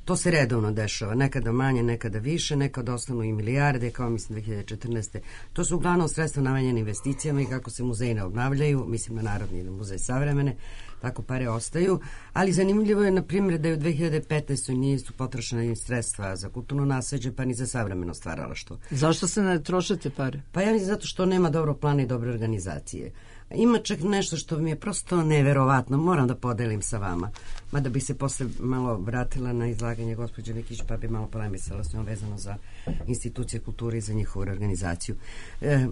to se redovno dešava. Nekada manje, nekada više, nekada ostanu i milijarde, kao mislim dve hiljade četrnaeste. To su uglavnom sredstva namenjene investicijama i kako se muzeji ne obnavljaju, mislim na Narodni i na Muzej savremene, tako pare ostaju. Ali zanimljivo je, na primjer, da je u dve hiljade petnaestoj nisu potrošena sredstva za kulturno nasleđe, pa ni za savremeno stvaralaštvo. Zašto se ne trošete pare? Pa ja mislim zato što nema dobrog plana i dobre organizacije. Ima čak nešto što mi je prosto neverovatno, moram da podelim sa vama, mada bi se posle malo vratila na izlaganje gospođe Lekić, pa bi malo polemisala s njom vezano za institucije kulture i za njihovu organizaciju. E,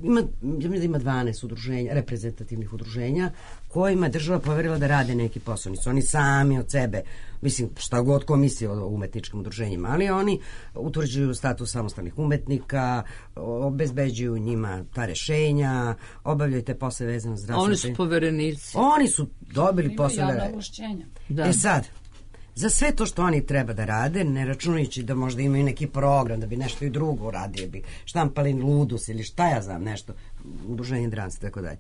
ima, ja mislim da ima dvanaest udruženja, reprezentativnih udruženja, kojima država poverila da rade neki posao. Nisu oni sami od sebe, mislim, šta god ko misli o umetničkim udruženjima, ali oni utvrđuju status samostalnih umetnika, obezbeđuju njima ta rešenja, obavljaju te posle vezano zdravstveno. Oni su poverenici. Oni su dobili posle. Da. E sad, za sve to što oni treba da rade, ne računajući da možda imaju neki program, da bi nešto i drugo radili, bi štampali ludus ili šta ja znam, nešto, udruženje Dranci, tako dalje.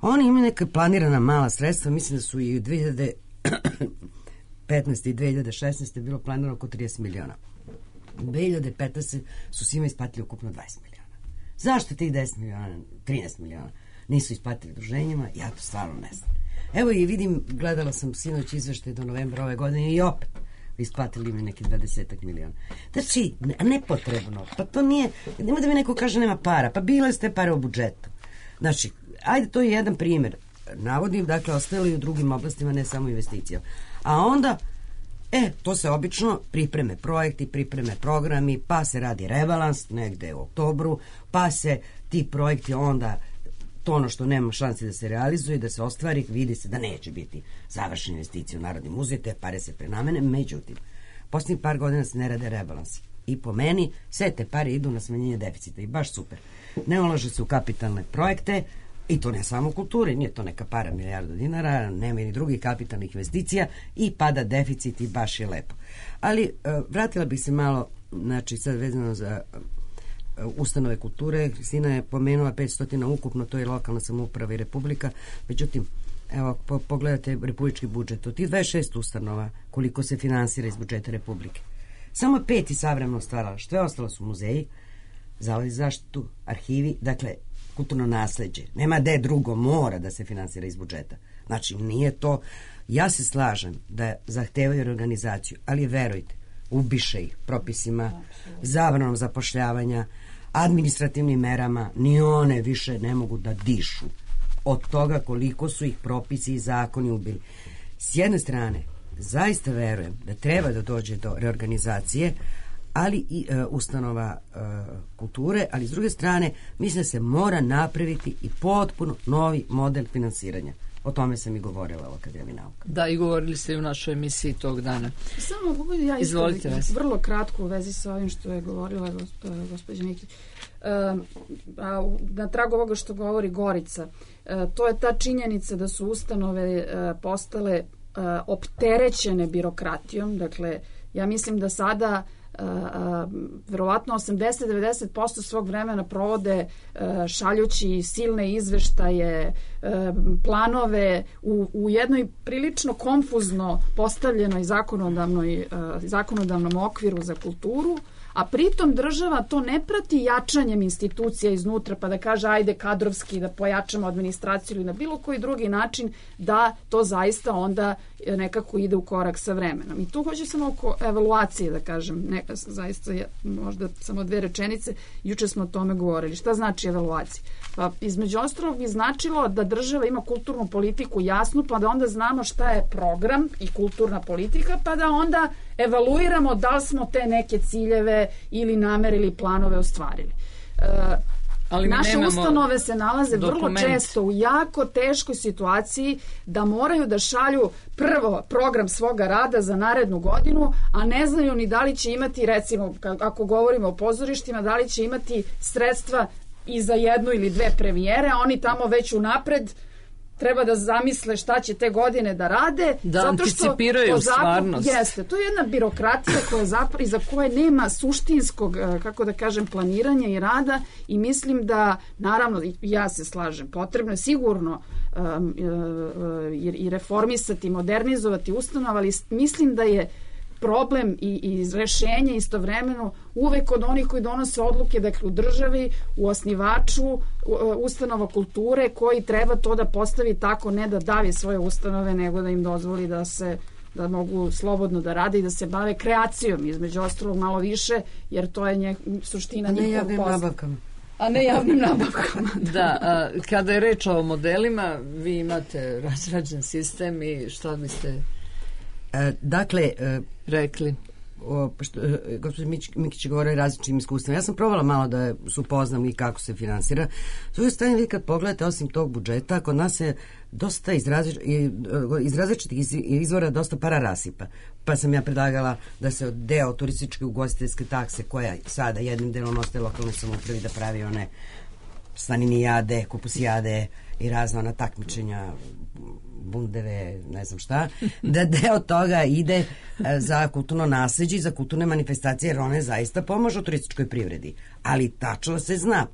Oni imaju neka planirana mala sredstva, mislim da su i u dve hiljade petnaeste i dve hiljade šesnaeste bilo planirano oko trideset miliona. U dve hiljade petnaeste su svima isplatili ukupno dvadeset miliona. Zašto tih deset miliona, trinaest miliona nisu isplatili udruženjima? Ja to stvarno ne znam. Evo i vidim, gledala sam sinoć izveštaj do novembra ove godine i opet isplatili mi neki dvadesetak miliona. Znači, nepotrebno. Pa to nije, nema da mi neko kaže nema para. Pa bile ste pare u budžetu. Znači, ajde, to je jedan primjer. Navodim, dakle, ostali u drugim oblastima, ne samo investicija. A onda, e, to se obično pripreme projekti, pripreme programi, pa se radi rebalans negde u oktobru, pa se ti projekti onda, to ono što nema šanse da se realizuje, da se ostvari, vidi se da neće biti završena investicija u Narodni muzej, te pare se prenamene. Međutim, posljednjih par godina se ne rade rebalansi. I po meni, sve te pare idu na smanjenje deficita i baš super. Ne ulaže se u kapitalne projekte, i to ne samo u kulturi, nije to neka para milijarda dinara, nema ni drugih kapitalnih investicija i pada deficit i baš je lepo. Ali vratila bih se malo, znači sad vezano za ustanove kulture, Kristina je pomenula petsto ukupno, to je lokalna samouprava i republika, međutim, evo, po, pogledajte republički budžet, od tih dvadeset šest ustanova, koliko se finansira iz budžeta republike. Samo pet i savremeno stvaralaštvo, sve ostalo su muzeji, zavodi za zaštitu, arhivi, dakle, kulturno nasleđe. Nema gde drugo, mora da se finansira iz budžeta. Znači, nije to, ja se slažem da zahtevaju reorganizaciju, ali verujte, ubiše ih propisima, zabranom zapošljavanja, administrativnim merama, ni one više ne mogu da dišu od toga koliko su ih propisi i zakoni ubili. S jedne strane, zaista verujem da treba da dođe do reorganizacije, ali i e, ustanova e, kulture, ali s druge strane mislim da se mora napraviti i potpuno novi model finansiranja. O tome sam i govorila u Akademiji nauka. Da, i govorili ste i u našoj emisiji tog dana. Samo mogu ja Izvolite vas. Vrlo kratko u vezi sa ovim što je govorila gospođa Mikić. E, na tragu ovoga što govori Gorica, e, to je ta činjenica da su ustanove e, postale e, opterećene birokratijom. Dakle, ja mislim da sada verovatno osamdeset do devedeset posto svog vremena provode šaljući silne izveštaje, planove u, u jednoj prilično konfuzno postavljenoj zakonodavnoj, zakonodavnom okviru za kulturu, a pritom država to ne prati jačanjem institucija iznutra, pa da kaže ajde kadrovski da pojačamo administraciju ili na bilo koji drugi način, da to zaista onda nekako ide u korak sa vremenom. I tu hoće samo oko evaluacije da kažem, neka, zaista je, možda samo dve rečenice, juče smo o tome govorili. Šta znači evaluacija? Pa između ostalog bi značilo da država ima kulturnu politiku jasnu, pa da onda znamo šta je program i kulturna politika, pa da onda evaluiramo da li smo te neke ciljeve ili namere ili planove ostvarili. E, Ali naše ustanove se nalaze dokument. vrlo često u jako teškoj situaciji da moraju da šalju prvo program svoga rada za narednu godinu, a ne znaju ni da li će imati, recimo, ako govorimo o pozorištima, da li će imati sredstva i za jednu ili dve premijere, a oni tamo već unapred treba da zamisle šta će te godine da rade. Da zato anticipiraju što stvarnost. Jeste, to je jedna birokratija koja zapra, iza koje nema suštinskog, kako da kažem, planiranja i rada i mislim da, naravno, ja se slažem, potrebno je sigurno um, i reformisati, modernizovati ustanove, ali mislim da je problem i, i rešenje istovremeno uvek kod onih koji donose odluke, dakle u državi, u osnivaču ustanova kulture koji treba to da postavi tako, ne da davi svoje ustanove, nego da im dozvoli da se da mogu slobodno da rade i da se bave kreacijom, između ostalog malo više, jer to je nje, suština njihovog posla. Nabavkama. A ne javnim nabavkama. Da, a, kada je reč o modelima, vi imate razrađen sistem i šta biste E, dakle, e, rekli? O, što, e, gospođa Mikić je govorio o različitim iskustvima. Ja sam probala malo da se upoznam i kako se finansira. S druge strane, vi kad pogledate, osim tog budžeta, kod nas je dosta iz, različ, iz različitih izvora dosta para rasipa. Pa sam ja predlagala da se deo turističke ugostiteljske takse, koja sada jednim delom ostaje lokalnoj samoupravi da pravi one slaninijade, kupusijade i razna ona takmičenja, bundeve, ne znam šta, da deo toga ide za kulturno nasleđe i za kulturne manifestacije, jer one zaista pomažu turističkoj privredi. Ali tačno se zna.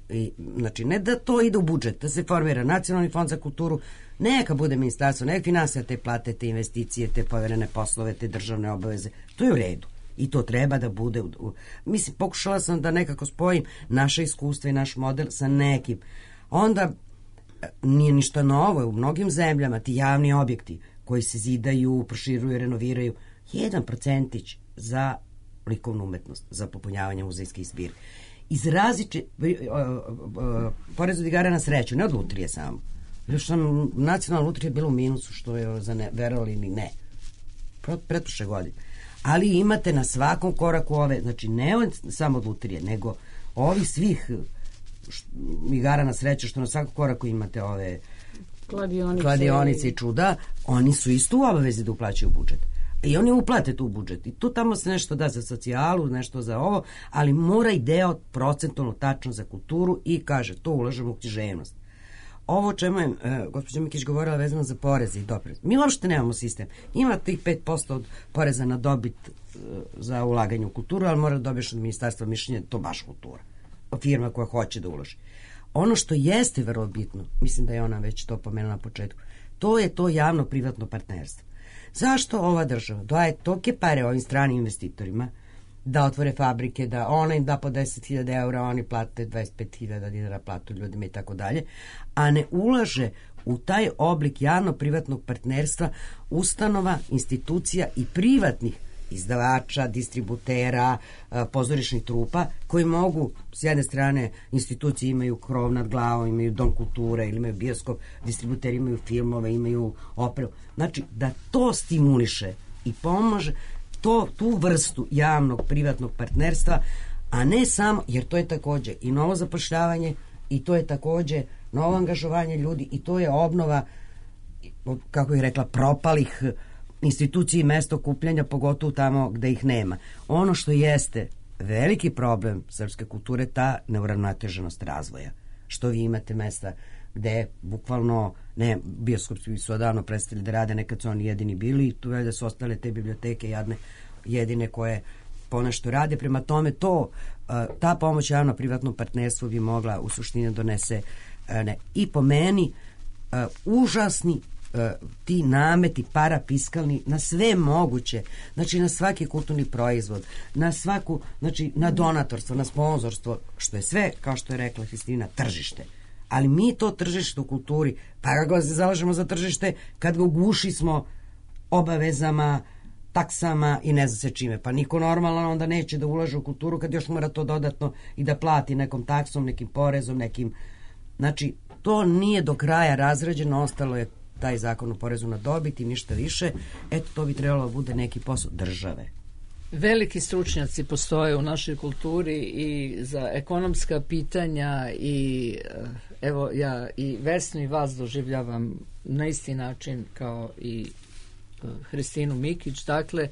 I, znači, ne da to ide u budžet, da se formira Nacionalni fond za kulturu, neka bude ministarstvo, neka finansira te plate, te investicije, te poverene poslove, te državne obaveze. To je u redu. I to treba da bude... U, u, mislim, pokušala sam da nekako spojim naše iskustva i naš model sa nekim. Onda nije ništa novo, u mnogim zemljama ti javni objekti koji se zidaju, proširuju, renoviraju, jedan procentić za likovnu umetnost, za popunjavanje muzejskih zbirki. Iz različite, porez od igara na sreću, ne od lutrije samo. Još sam, nacionalna lutrija je bila u minusu, što je za ne, verovali ni ne. Pretprošle godine. Ali imate na svakom koraku ove, znači ne od, samo od lutrije, nego ovi svih igara na sreću, što na svakom koraku imate ove kladionice, kladionice i čuda, oni su isto u obavezi da uplaćaju budžet. I oni uplate tu budžet. I tu tamo se nešto da za socijalu, nešto za ovo, ali mora i deo procentualno tačno za kulturu i kaže, to ulažemo u književnost. Ovo o čemu je uh, gospođa Mikić govorila vezano za poreze i doprinos. Mi uopšte nemamo sistem. Ima tih pet posto od poreza na dobit uh, za ulaganje u kulturu, ali mora da dobiješ od ministarstva mišljenje, to baš kultura. Firma koja hoće da uloži. Ono što jeste vrlo bitno, mislim da je ona već to pomenula na početku, to je to javno-privatno partnerstvo. Zašto ova država daje toke pare ovim stranim investitorima da otvore fabrike, da ona im da po deset hiljada eura, oni plate dvadeset pet hiljada dinara platu ljudima i tako dalje, a ne ulaže u taj oblik javno-privatnog partnerstva ustanova, institucija i privatnih izdavača, distributera, pozorišnih trupa, koji mogu, s jedne strane, institucije imaju krov nad glavom, imaju dom kulture, ili imaju bioskop, distributeri imaju filmove, imaju operu. Znači, da to stimuliše i pomaže to, tu vrstu javnog, privatnog partnerstva, a ne samo, jer to je takođe i novo zapošljavanje, i to je takođe novo angažovanje ljudi, i to je obnova, kako bih rekla, propalih instituciji i mesto okupljanja, pogotovo tamo gde ih nema. Ono što jeste veliki problem srpske kulture, ta neuravnoteženost razvoja. Što vi imate mesta gde bukvalno, ne, bioskopi su odavno prestali da rade, nekad su oni jedini bili i tu je da su ostale te biblioteke jadne, jedine koje ponešto rade. Prema tome to, ta pomoć javno-privatnom partnerstvu bi mogla u suštini donese ne, i po meni užasni ti nameti parafiskalni na sve moguće, znači na svaki kulturni proizvod, na svaku, znači na donatorstvo, na sponzorstvo, što je sve, kao što je rekla Hristina, tržište. Ali mi to tržište u kulturi, pa ga se zalažemo za tržište kad ga ugušismo obavezama, taksama i ne zna se čime. Pa niko normalan onda neće da ulaže u kulturu kad još mora to dodatno i da plati nekom taksom, nekim porezom, nekim... Znači, to nije do kraja razrađeno, ostalo je taj zakon o porezu na dobit i ništa više. Eto, to bi trebalo da bude neki posao države. Veliki stručnjaci postoje u našoj kulturi i za ekonomska pitanja i evo ja i Vesnu i vas doživljavam na isti način kao i Hristinu Mikić. Dakle,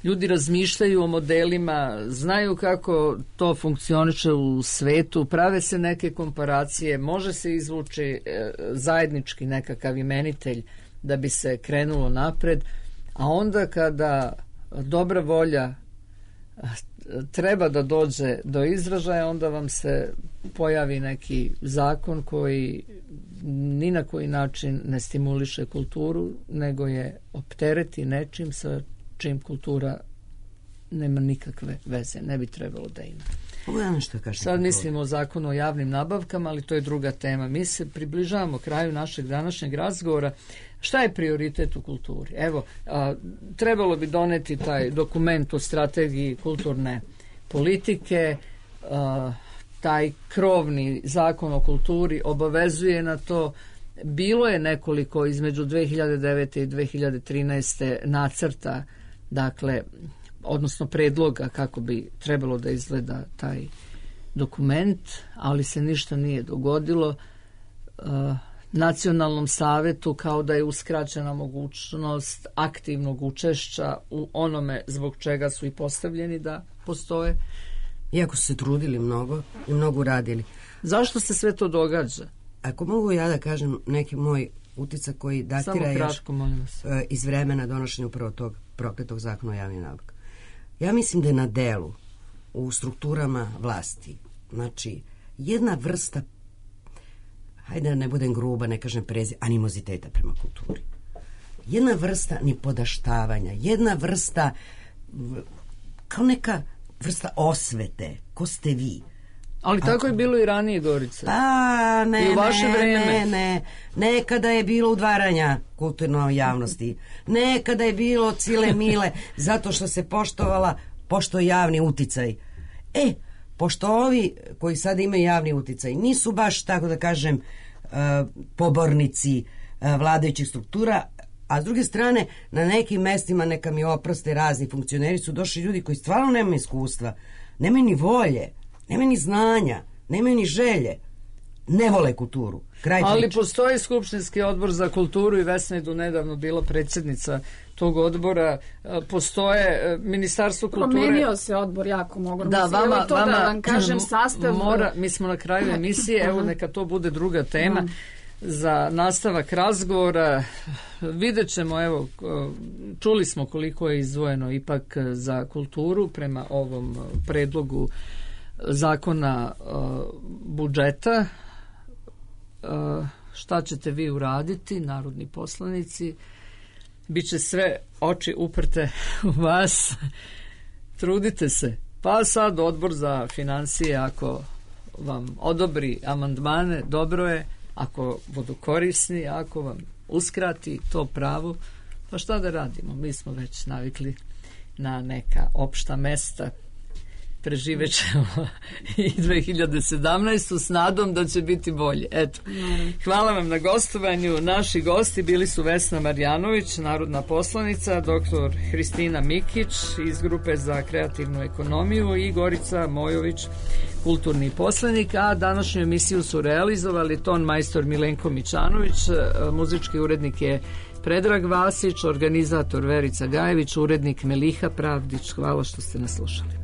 ljudi razmišljaju o modelima, znaju kako to funkcioniše u svetu, prave se neke komparacije, može se izvući zajednički nekakav imenitelj da bi se krenulo napred, a onda kada dobra volja treba da dođe do izražaja, onda vam se pojavi neki zakon koji ni na koji način ne stimuliše kulturu, nego je optereti nečim sa čim kultura nema nikakve veze, ne bi trebalo da ima. Sad mislimo o zakonu o javnim nabavkama, ali to je druga tema. Mi se približavamo kraju našeg današnjeg razgovora. Šta je prioritet u kulturi? Evo, a, trebalo bi doneti taj dokument o strategiji kulturne politike, a, taj krovni zakon o kulturi obavezuje na to. Bilo je nekoliko između dve hiljade devete i dve hiljade trinaeste nacrta, dakle, odnosno predloga kako bi trebalo da izgleda taj dokument, ali se ništa nije dogodilo. Uh, Nacionalnom savetu kao da je uskraćena mogućnost aktivnog učešća u onome zbog čega su i postavljeni da postoje. Iako su se trudili mnogo i mnogo uradili. Zašto se sve to događa? Ako mogu ja da kažem neki moj uticak koji datira kratko, još iz vremena donošenja upravo tog prokletog zakona o javnim nabavkama. Ja mislim da je na delu u strukturama vlasti, znači jedna vrsta, hajde da ne budem gruba, ne kažem prezi, animoziteta prema kulturi. Jedna vrsta nipodaštavanja, jedna vrsta kao neka vrsta osvete, ko ste vi. Ali tako Ako... je bilo i ranije, Gorica. Pa, ne, I u vaše ne, vreme. ne, ne. Nekada je bilo udvaranja kulturnoj javnosti. Nekada je bilo cile mile, zato što se poštovala, pošto javni uticaj. E, pošto ovi koji sada imaju javni uticaj nisu baš, tako da kažem, uh, pobornici uh, vladajućih struktura, a s druge strane, na nekim mestima, neka mi oproste, razni funkcioneri su došli ljudi koji stvarno nemaju iskustva, nemaju ni volje, nemaju ni znanja, nemaju ni želje, ne vole kulturu. Kraj Ali priče. Postoji Skupštinski odbor za kulturu i Vesna je do nedavno bila predsjednica tog odbora. Postoje Ministarstvo kulture. Promenio se odbor jako mogu. Da, vama, to vama, da vam kažem sastav. Mora, mi smo na kraju emisije, evo neka to bude druga tema. Mm. Za nastavak razgovora vidjet ćemo, evo, čuli smo koliko je izdvojeno ipak za kulturu prema ovom predlogu zakona uh, budžeta. Uh, šta ćete vi uraditi, narodni poslanici? Biće sve oči uprte u vas. Trudite se. Pa sad odbor za financije, ako vam odobri amandmane, dobro je. Ako budu korisni, ako vam uskrati to pravo, pa šta da radimo? Mi smo već navikli na neka opšta mesta. Preživet ćemo i dve hiljade sedamnaestu s nadom da će biti bolje. Eto. Hvala vam na gostovanju. Naši gosti bili su Vesna Marjanović, narodna poslanica, doktor Hristina Mikić iz Grupe za kreativnu ekonomiju i Gorica Mojović, kulturni poslanik, a današnju emisiju su realizovali ton majstor Milenko Mićanović, muzički urednik je Predrag Vasić, organizator Verica Gajević, urednik Meliha Pravdić. Hvala što ste nas slušali.